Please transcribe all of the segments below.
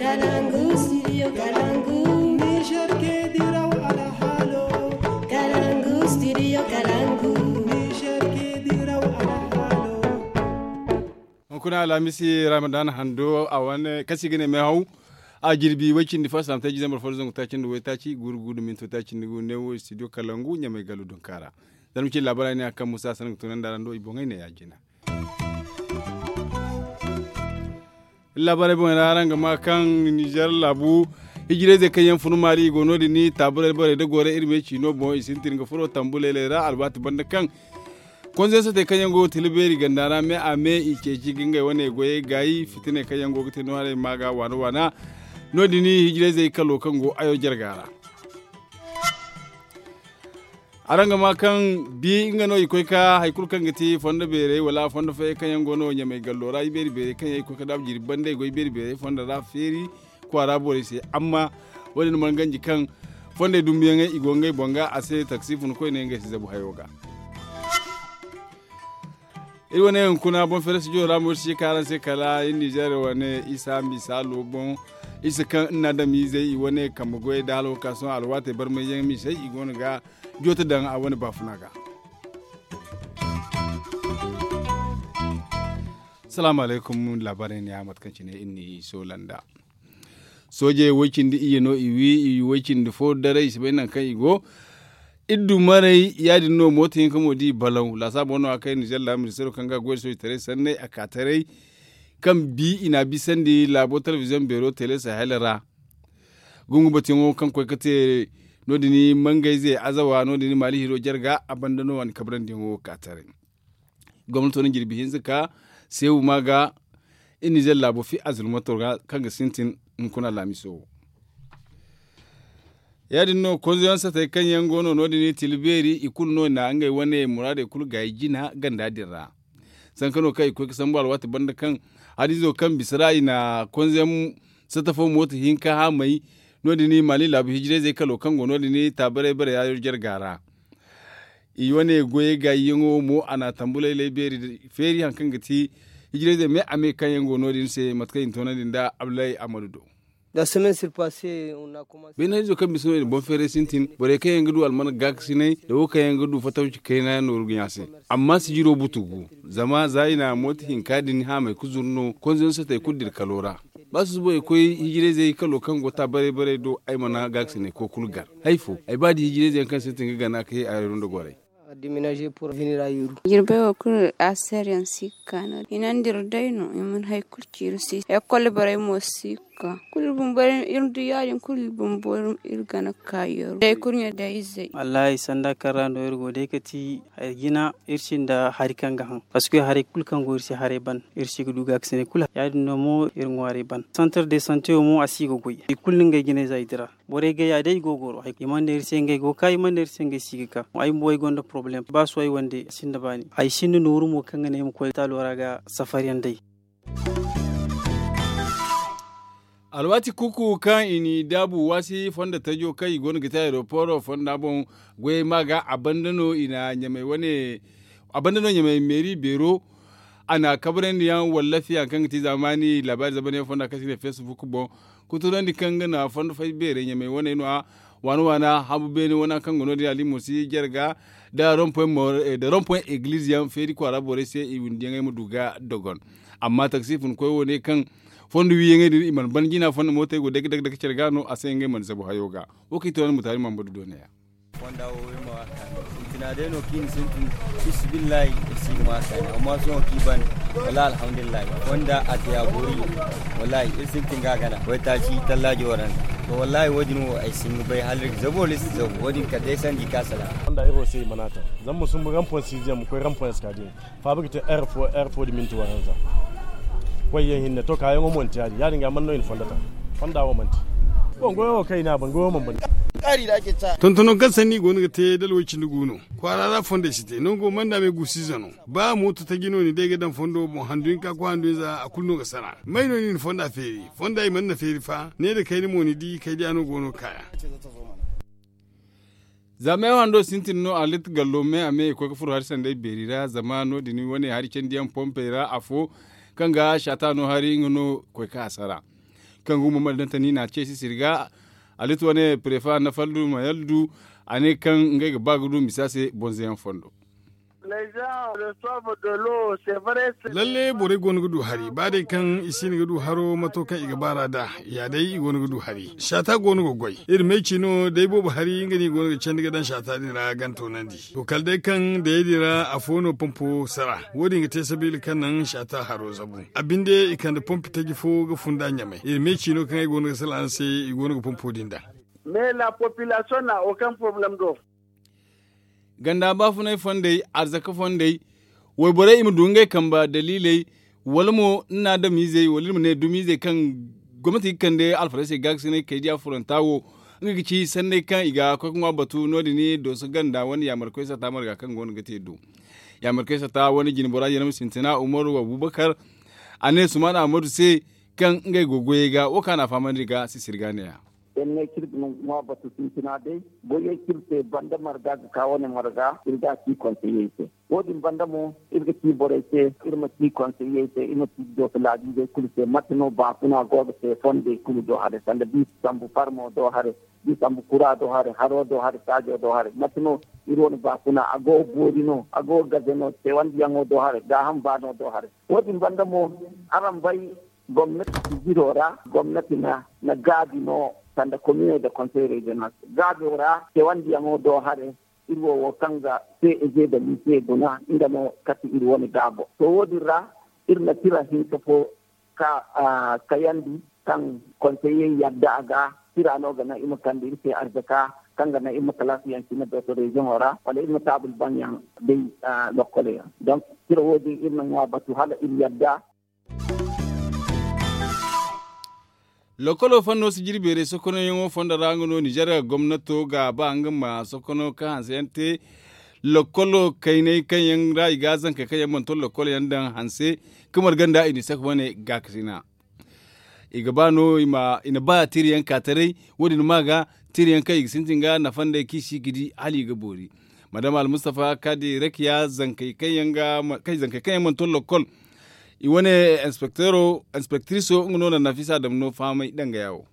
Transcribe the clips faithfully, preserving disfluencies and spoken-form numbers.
Kalangu, studio Kalangu. Niger ke diraw alhalo. Kalangu, studio Kalangu. Niger ke diraw alhalo. Hunkuna alhamisi ramadan hando a wane kasi ga ne mai hau. A jirbi way cindi fo a samte jizambar fo da zangu taaci nda way taaci guru gudu minto taaci nda gu ne wo studio Kalangu ɲamay galu dunkara. Zama ci labarai ne a kan musa sanan ga tunanda rando i boŋay ne ya jina. Labarai boŋ ra araŋ ga ma kaŋ nizer laabu hijirayzey kaŋ yaŋ fun maali i go no- din ni taaburay borey da goray iri ma ay ciino boŋ i sintin ga furo tambu laylay ra alwaati banda kaŋ konzo yaŋ satey kaŋ yaŋ go ga tila beeri ganda ra me a me i ceeci ga ngey wane goyey gaayi fitiney kaŋ yaŋ go ga te no haray ma ga waana waana. No- din ni hijirayzey kalo kaŋ go ayo jarga ra. Araŋ ga ma kaŋ bi nga no i koy ka hari kulu kaŋ ga ti fondo beerey wala fondo fayey kaŋ yaŋ go no ɲamay gallo ra ibeeri beerey kaŋ yaŋ i koy ka daabu jirbi banda i go ibeeri beerey fondo ra feeri kwaara borey se. Amma wo- din mana ganji kaŋ fondey dumbuyaŋey i go ngey boŋ ga a se taksi fun koyne ngey si zabu hayo ga. Iri wane hunkuna boŋ fere studio ra mo iri si ka araŋ se kala iri nizer wane isa misaalo boŋ isa kaŋ iri na adamizey i wane kambe goyey da hala wo ka sohõ alwaatey barmayyaŋ misey i go no ga joote daŋ a wane baafuna ga. Salaamu alaykum laabaarey ne ya mate kaŋ cine iri n'i soola nda soojey way cindi iyye no i wi i way cindi fo daray i si bay nangu kaŋ i go. Iri du maray ya- din no mooto hinka mo da i balaw laasaabo no a kay nizer laabu ministeero kaŋ ga goy da soojitaray sanney a ka taray kaŋ bi i n'a bisandi laabo telebiziyoŋ beero tele sahel ra. Gungu batuyaŋo kaŋ koy ga te no- din mangayze azawa no- din maali hiro jarga a banda no a na kabrandiyaŋo ka taray. Gomnato na jirbi hinza ka seebu ma ga iri nizer laabo fi azulmato ra kaŋ ga sintin hunkuna laamiso wo. Ya- din no konzoyaŋ satey kaŋ yaŋ go no no- din i tila beeri i kulu no i na ngey wane muraadey kulu gaayi jina ganda din ra. Sanka no kaŋ i koy ga sambu alwaati banda kaŋ hadiizo kaŋ bisa ra i na konzoyaŋ sata fo mooto hinka haamay. No- din maali laabu hijirayzey kalo kaŋ go no- din taabaray bare yaayo jarga ra. I wane goyey gaayiyaŋo mo a na tambulaylay beeri feeri hari kaŋ ga ti hijirayzey me a me kaŋ yaŋ go no- din se mate kaŋ i na toonandi nda abdullahi amadu do. Beena izo kaŋ bisa no i na boŋ feeray sintin borey kaŋ yaŋ ga du almana gaakasinay da wo kaŋ yaŋ ga du fatawci kayna nooru ga ɲa se. Amma sijiro butu gu zama za i na mooto hinka din haamay ga zuru no konzoyaŋ satey kulu dira kalo ra. Ba susubo i koy hijirayzey kalo kaŋ go ta baray baray do ay mana gaakasinay koy kulu gar. Hay fo ay ba di hijirayzey yaŋ kaŋ sintin ga gana ka ye a yaro nda goray. Jirbey wo kulu a seeriyaŋ si ga ka no- din i na nda iri day no i mana hari kulu ci iri se ekol borey mo si ga ka kulu iri bumbo iri du ya- din kulu iri bumbo iri gana ga ka yaro day kurɲe day izey. Wallahi sanda kaŋ ra no iri go day ga ti hari jina iri sinda hari kaŋ ga haŋ. Parceque haray kulu kaŋ go iri se haray ban iri si ga du gaakasinay kulu ya- din no mo iri ŋwaaray ban santar de sante wo mo a si ga goy i kulu na ngey jinayza i dira. Borey gay ya day i go goro i mana ne iri se ngey go ga ka i mana ne iri se ngey si ga ka ay bumbo ay gonda porobalem ba sohõ ay wande a sinda baani ay sinda nooru mo kaŋ ga ne ay ma koy taalo ra ga safariyaŋ day. Alwaati kuuku kaŋ i n'i daabu waasi fondo tajo kaŋ i go no ga te aeroporo fonda boŋ goyey ma ga a banda no i na ɲamay wane a banda no ɲamay meeri beero. A na kabrandi yaŋ wallafi hari kaŋ ga ti zaamaani laabaari zamanyaŋ fonda kaŋ se i ne facebook boŋ. Kuturandi kaŋ ga na fondo fay beerey ɲamay wane no- ya waana waana habu beene wana kaŋ ga no- din alimo si jarga da rompoy egiliz yaŋ feeri kwaara borey se i windiyaŋey ma du ga dogon. Amma taksi funkoy wo ne kaŋ fondo wiiyaŋey din i mana ban jina fondo mootey go dake dake care ga no a se ngey mana zabu hayo ga. Wo kaŋ i to yaŋ mutaari mambadu do ne- ya. Fonda wo iri ma waaka sintina day no kaŋ i na sintin. Fisibillahi iri si ga ma kaani amma sohõ kaŋ i ban wala alhamdulillahi fonda a te a boori. Wallahi iri sintin ga a gana waytaaci tallaajo waranza. To wallahi wo- din wo ay si hin ga bay hala iri ga zabu wala iri si zabu wo- din kala day sandi ka salaŋ. Fonda iri wo se i mana a taŋ zama ma sumbu rampon siziyaŋ ma koy rampon eskadiyeŋ. Faaba ga te heure fo heure fo da minti waranza. Koyyaŋ hinne to kaayaŋo mo manti ya- din ya- din ga man no i na fondo taŋ. Fonda wo manti. Bon goyo wo kaŋ i ne a ban goyo man ban. Tontono kaŋ sanni i go no ga te dala way cindi gu no. Kwaara ra fondey si te nango manda me guusiize no. Ba mooto taji no ni day ga daŋ fondo boŋ handu hinka koy handu hinza a kulu no ga sara may no ni na fonda feeri? Fonda i mana feeri fa ne nda kayna mo ni di kaydiya no go no ga kaaya. Za meewa hando sintin no a litti gallo me a me i koy ga furo hari sanday beeri ra zama no- din wane hari candiyaŋ pompey ra afo kaŋ ga saata no hari nga no koy ka a sara. Kaŋ ga humma mali dantani na ce sisiri ga. Alit wane prefa na faldu ma yaldu. A ne kaŋ ngey ga ba ga du misa se bonze yaŋ fondo. Lalle borey go no ga du hari ba day kaŋ i si no ga du haro mato kaŋ i ga baar'a nd'a. Ya day i go no ga du hari saata go no ga goy. Iri may ci no day boobo hari nga no i go no ga candi ga daŋ saata din ra gan toonandi. To kala day kaŋ dayey din ra afo no pompo sara. Wo- din ga te sabiila kaŋ naŋ saata haro zabu. A binde i kande pompi taji fo ga funda ɲamay iri may ci no kaŋ ay go no ga salaŋ se i go no ga pompo din daŋ. Mais la population na aucun problème do. Ganda baafunay fondey, arzaka fondey, wayborey i ma du ngey kamba daliiley, wala mo ni na adamizey wala iri ma ne dumizey kaŋ gomnati ga kande alfarasey gaakasinay kaydiya furanta wo. Nga ga ci sanney kaŋ i ga koy ga ŋwa batu no- din dooso ganda wane yaamarkoy sata marga kaŋ go no ga te do. Yaamarkoy sata wane jinbora yanamu sintina umaru abubakar, a ne sumaana ahmadu se kaŋ ngey go goyey ga wo kaŋ a na a fahamandi ga sisiri ga ne- ya. Iri ne kaŋ iri ga ŋwa batu sintina day, goyey kaŋ iri te banda marga ga ka wane marga iri ga a ci konseyey se. Wo- din banda mo iri ga ci borey se, iri ma ci konseyey se, iri ma ci dooso laabiizey kulu se mate no baafuna go ga te fondey kulu do haray sanda da i sambu farmo do haray, da i sambu kura do haray, haro do haray, saajo do haray mate no? Iri wane baafuna a go ga boori no, a go ga gaze no, teewandiyaŋo do haray, gaaham baano do haray. Wo- din banda mo, araŋ bay gomnati sijiro ra gomnati na gaabi no sanda komine nda konsey reziyonal gaabo ra teewandiyaŋo do haray. Iri wo wo kaŋ ga se eze nda mise guna nga no kati iri wane gaabo to wo- din ra iri na tira hinka fo ka kayandi kaŋ konseyey yadda a ga. Tira no ga naŋ iri ma kande iri se arzaka kaŋ ga naŋ iri ma kalaasiyaŋ cine dooso reziyoŋo ra wala iri ma taabul baŋyaŋ day lokkoley ra. Donk tira wo- din iri na ŋwa batu hala iri yadda. Lokkolo fanno si jirbeerey sokonayyaŋo fondo ra nga no ninzeer gomnato ga ba nga ma sokono kaŋ hanse yaŋ te. Lokkolo kayney kaŋ yaŋ ra i ga zankey kaŋ yaŋ mana to lokkolo yaŋ daŋ hanse ka marga nda i na i saka wane gaakasina. I ga ba no i na ba tirayaŋ ka taray. Wo- din ma ga tirayaŋ kaŋ i ga sintin ga nafa nd'ey kaŋ i si ga di hala i ga boori. Madama almustafa kadi rakiya zankey kaŋ yaŋ mana to lokkol. I wane inspektiriso nga no na nafisa dama no fahamay danga ya wo.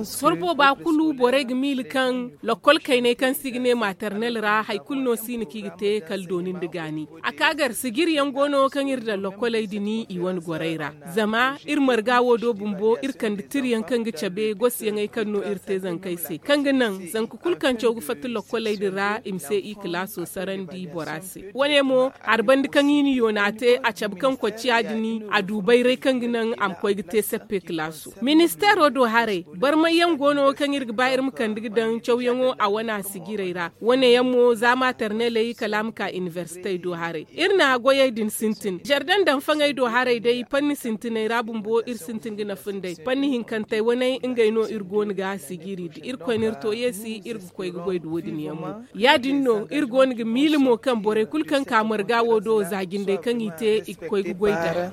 Sorbo ba kulu borey ga miila kaŋ lokkol kayney kaŋ se i ga ne maternel ra hari kulu no si no kaŋ i ga te kala dooni nda gaani. A ka gar sijiryaŋ go no kaŋ iri daŋ lokkoley din i wane gorey ra. Zama iri marga wo do bumbo iri kande tirayaŋ kaŋ ga cabe gosiyaŋey kaŋ no iri te zankey se kaŋ ga naŋ zanka kulu kaŋ caw ga fatta lokkoley din ra i ma se i kalaaso sarandi bora se. Wane mo hari banda kaŋ i na yoona te a cabe kaŋ kocciya din a du bayray kaŋ ga naŋ a ma koy ga te sappe kalaaso. Ministeero do haray barmayyaŋ go no kaŋ iri ga ba iri ma kande ga daŋ cawyaŋo a wane a sijirey ra. Wane yaŋ mo za materneley kala a ma ka inibersitey do haray. Iri na goyey din sintin zardan daŋ faŋey do haray day panni sintiney ra bumbo iri sintin ga nafa nd'ey panni hinkantey waney ngey no iri go no ga sijiri da irkoy na iri to yeesi iri ga koy ga goy nda wo- din yaŋ mo. Ya- din no iri go no ga miila mo kaŋ borey kulu kaŋ ka marga wo do za jindey kaŋ i te i ga koy ga goy d'a.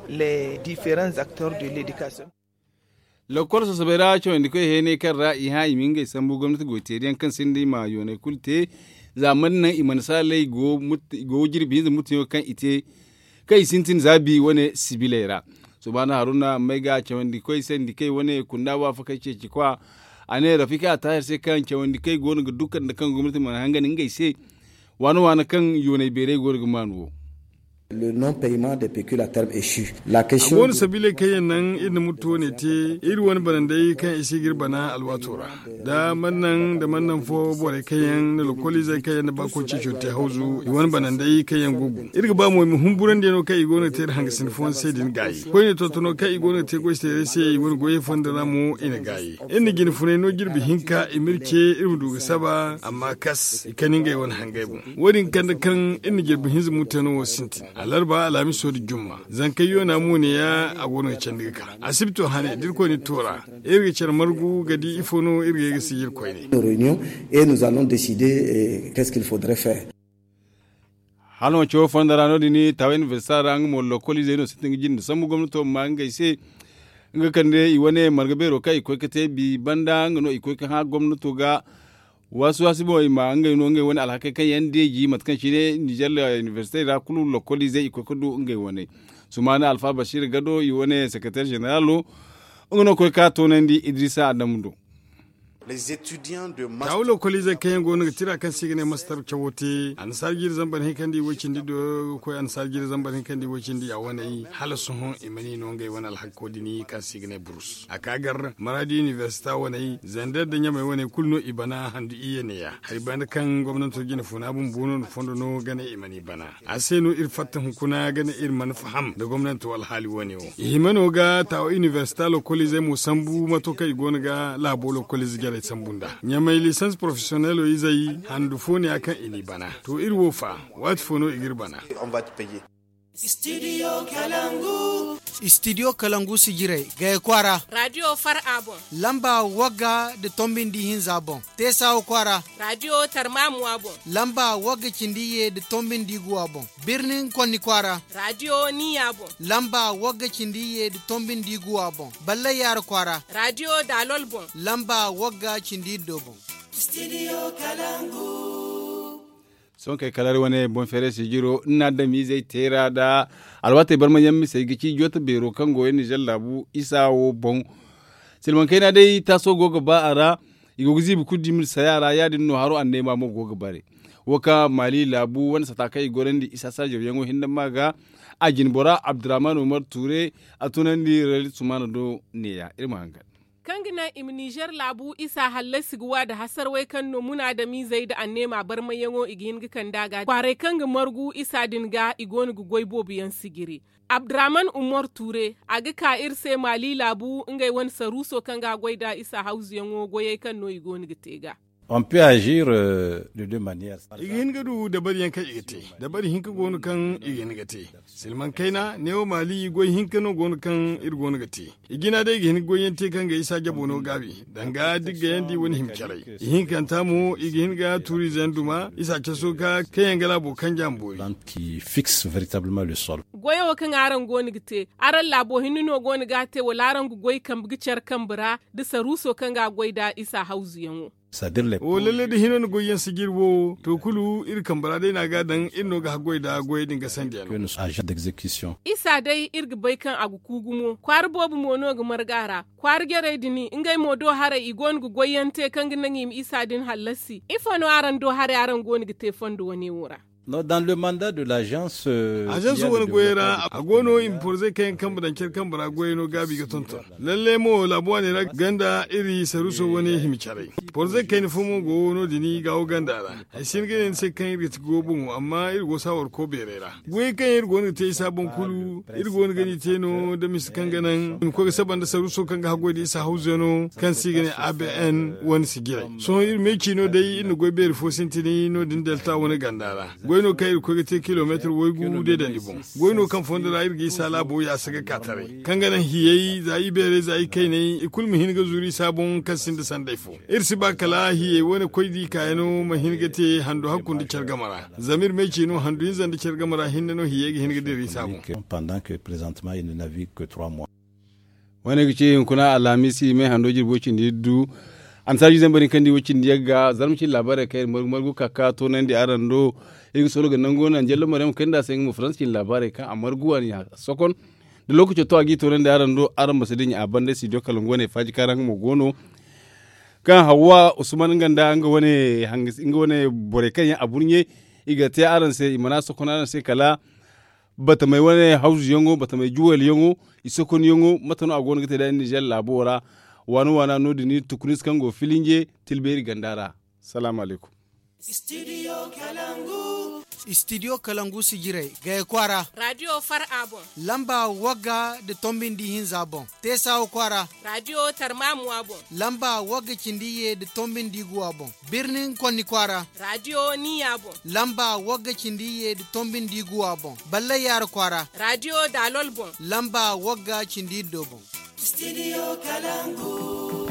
Lokkol sasabey ra cawandikoy heenay kaŋ ra i hã i ma ngey sambu gomnati goy teeriyaŋ kaŋ sinda i ma yoonay kulu te. Za mana naŋ i mana saalay i go jirbi hinza mutuyaŋo kaŋ i te kaŋ i sintin za bi wane sibiley ra. Subaana haruna may ga cawandikoy sandikey wane kunda waafakey ceeci kwa. A ne rafika a taahir se kaŋ cawandikey go no ga dukar nda kaŋ gomnati mana hangan ngey se. Waana waana kaŋ yoonay beeray go no ga maanu wo. A go no sabiiley kaŋ yaŋ naŋ iri na murtu wane te iri wane banandey kaŋ i si ga iri bana alwaato ra. Da mana naŋ da mana naŋ fo borey kaŋ yaŋ na lokoliizey kaŋ yaŋ na ba koy ceeco te hawzu i wane banandey kaŋ yaŋ go gum iri ga ba mo i ma humburandi yaŋo kaŋ i go no ga te iri hangasin fooyaŋ se din gaayi koyne tontono kaŋ i go no ga te goy se teeray se i wane goyey fondo ra mo i na gaayi. Iri na jine funay no jirbi hinka i ma iri ce iri ma du ga saba amma kas i kani ngey wane hangey boŋ. Wo- din kande kaŋ iri na jirbi hinza murtano wo sintin alarba alhamiso nda jumma zankey yoona mo ne ya a go no ga candi ga ka asibito hane da irkoy na iri to ra. Iri ga care margu ga di ifo no iri ga ye ga sijir koyne. Hala manci wo fondo ra no- din taawa inibersita ra nga mo lokoliizey no sintin ga jinde sambu gomnato ma ma ngey se. Nga kande i wane marga beero kaŋ i koy ga te bi banda nga no i koy ga hã gomnato ga. Waasi waasi boŋ i ma ngey no ngey wane alhakey kaŋ yaŋ deeji mate kaŋ cine ninzeer inibersitey ra kulu lokoliizey i koy ga du ngey wane. Sumaana alfa basiir gado i wane sekereteer zeneralo. Nga no koy ka toonandi idrisa adamu do. Taawu lokoliizey kaŋ yaŋ go no ga tira kaŋ se i ga ne mastar cawo te annasaara jiiri zambar hinka nda i way cindi do ga koy annasaara jiiri zambar hinka nda i way cindi ya wane hala sohõ i mana i no ngey wane alhakko din kaŋ se i ga ne burus a ka gar maraadi inibersita wane zandar nda ɲamey wane kulu no i bana handu iyye neeya hari banda kaŋ gomnanto jine funa bumbo no nda fondo no ga ne i mana i bana. A se no iri fatta hunkuna ga ne iri mana faham nda gomnanto alhaali wane wo i hima no ga taawo inibersita lokoliizey mo sambu mato kaŋ i go no ga laabo lokoliize jarey sambu nd'a ɲamey lisans porofesiyonelo izey handu fo ne ya kaŋ i n'i bana. To iri wo fa waati fo no i g'iri bana. Istidiyo kalangu sijirey gay kwaara. Raadiyo far a boŋ. Lamba wagga nda tombi nda ihinza boŋ. Teesa wo kwaara. Raadiyo tarmaamu a boŋ. Lamba wagga cindi iyye nda tombi nda iguwa boŋ. Birnin konni kwaara. Raadiyo niya boŋ. Lamba wagga cindi iyye nda tombi nda iguwa boŋ. Ballay yaara kwaara. Raadiyo daalol boŋ. Lamba wagga cindi iddo boŋ. Sohõ kay kala iri wane boŋ feeray sijiro nda adamizey teera nda alwaatey barma yaŋ misey ga ci jooto beero kaŋ go yaŋ nizer laabu isa wo boŋ. Silmaŋ kayna day taaso go ga ba a ra. I go ga ziibi kulu dimi nda saya ra ya- din no haro anneema mo go ga bare. Wo kaŋ maali laabu wane sata kaŋ i gorandi isa saajaw yaŋo hinne ma ga a jine bora abdurrahman umar tuure a tunandi rali sumaana do neeya iri ma hangan. Kaŋ ga naŋ i ma nizer laabu isa hallasi ga wa nda hasarwey kaŋ no munaadamizey nda anneema barmayyaŋo i ga hin ga kand'a ga kwaaray kaŋ ga margu isa din ga i go no ga goy boobo yaŋ sijiri. Abdurrahman umar tuure a ga ka iri se maali laabu ngey wane saruuso kaŋ ga a goy nd'a isa hawzuyaŋo goyey kaŋ no i go no ga te ga. On peut agir de deux manières. I ga hin ga du dabariyaŋ kaŋ i ga te. Dabari hinka go no kaŋ i ga hin ga te. Silmaŋ kayna neewo maali goy hinka no go no kaŋ iri go no ga te. I jina day i ga hin ga goy yaŋ te kaŋ ga isa jabo no gaabi danga digga yaŋ da i wane hima caray. I hinkanta mo i ga hin ga tuuriize yaŋ duma isa caso ga kaŋ yaŋ ga laabo kanja ma boori. Qui fixe véritablement le sol. Goyo kaŋ araŋ go no ga te araŋ laabo hinne no go no ga a te wala araŋ ga goy kambe ga care kambe ra da saruuso kaŋ ga a goy nd'a isa hawzuyaŋo. Wo lalle da hino ni goyyaŋ sijiri wo to kulu iri kambe ra day no a ga a daŋ iri no ga haggoy nda goyey din ga sandiyaŋ. Isa day iri ga bay kaŋ a ga ku gumo kwaara boobo mo no ga marga a ra. Kwaara jarey din ngey mo do haray i go no ga goyyaŋ te kaŋ ga naŋ i ma isa din hallasi ifo no araŋ do haray araŋ go no ga te fondo wane wo ra? Ažanso wane goyey ra a go no i ma porzey kaŋ yaŋ kambe daŋ care kambe ra goyey no gaabi ga tonton. Lalle mo laabu waaney ra ganda iri saruuso wane hima caray. Porzey kayna fo mo go no- din gaawo ganda ra. Ay si hin ga ne ni se kaŋ iri ga ti go boŋo amma iri go saawar ko beerey ra. Goyey kaŋ yaŋ iri go no ga te isa boŋ kulu iri go no ga ni te no da mise kaŋ ga naŋ i ma koy ga saba nda saruuso kaŋ ga haggoy nda isa hawzey no kaŋ se i ga ne abn wane si jiray. Sohõ iri meeci no day iri na goy beeri fo sintin no- din delta wane ganda ra. Goy no kaŋ iri ga koy ga te kilomeetir waygu deedandi boŋ. Goy no kaŋ fondo ra iri ga isa laabo yaasa ga ka taray kaŋ ga naŋ hiyey za ibeerey za ikayney i kulu ma hin ga zuru isa boŋ kaŋ sinda sanday fo. Iri si ba kala hiyey wane koy di kaayano ma hin ga te handu hakku nda care game ra. Zama iri meeci no handu hinza nda care game ra hinne no hiyey ga hin ga dira isa boŋ. Wane ga ci hunkuna alhamiisi me hando jirbo cindi du. Annasaara jiiri zambar hinka nda i wo cindi yagga zarma cindi laabaarey kaŋ iri margu margu ka ka toonandi araŋ do. Iri ga solo ga nango naŋ jallo maryam kayna nda a se nga mo faransa cindi laabaarey kaŋ a margu a na i sokon. Da lookaco to a g'i toonandi araŋ do araŋ ma si dinya a banda studio kalangu wane faaji kaara nga mo go no. Kaŋ hawwa usman nga nda nga wane borey kaŋ yaŋ a burɲe i ga te araŋ se i mana sokon araŋ se kala batamey wane hawzuyaŋo batamey juwaliyaŋo i sokonyaŋo mate no a go no ga te da nizer laabo ra. Waana waana no- din iri tukunis kaŋ go filinje tilbeeri ganda ra. Salaamu alaykum. Istidiyo kalangu sijirey gaya kwaara. Raadiyo far a boŋ. Lamba wagga nda tombi nda ihinza boŋ. Teesawa kwaara. Raadiyo tarmaamu a boŋ. Lamba wagga cindi iyye nda tombi nda iguwa boŋ. Birnin konni kwaara. Raadiyo niya boŋ. Lamba wagga cindi iyye nda tombi nda iguwa boŋ. Ballay yaara kwaara. Raadiyo daalol boŋ. Lamba wagga cindi iddo boŋ. Studio kalangu.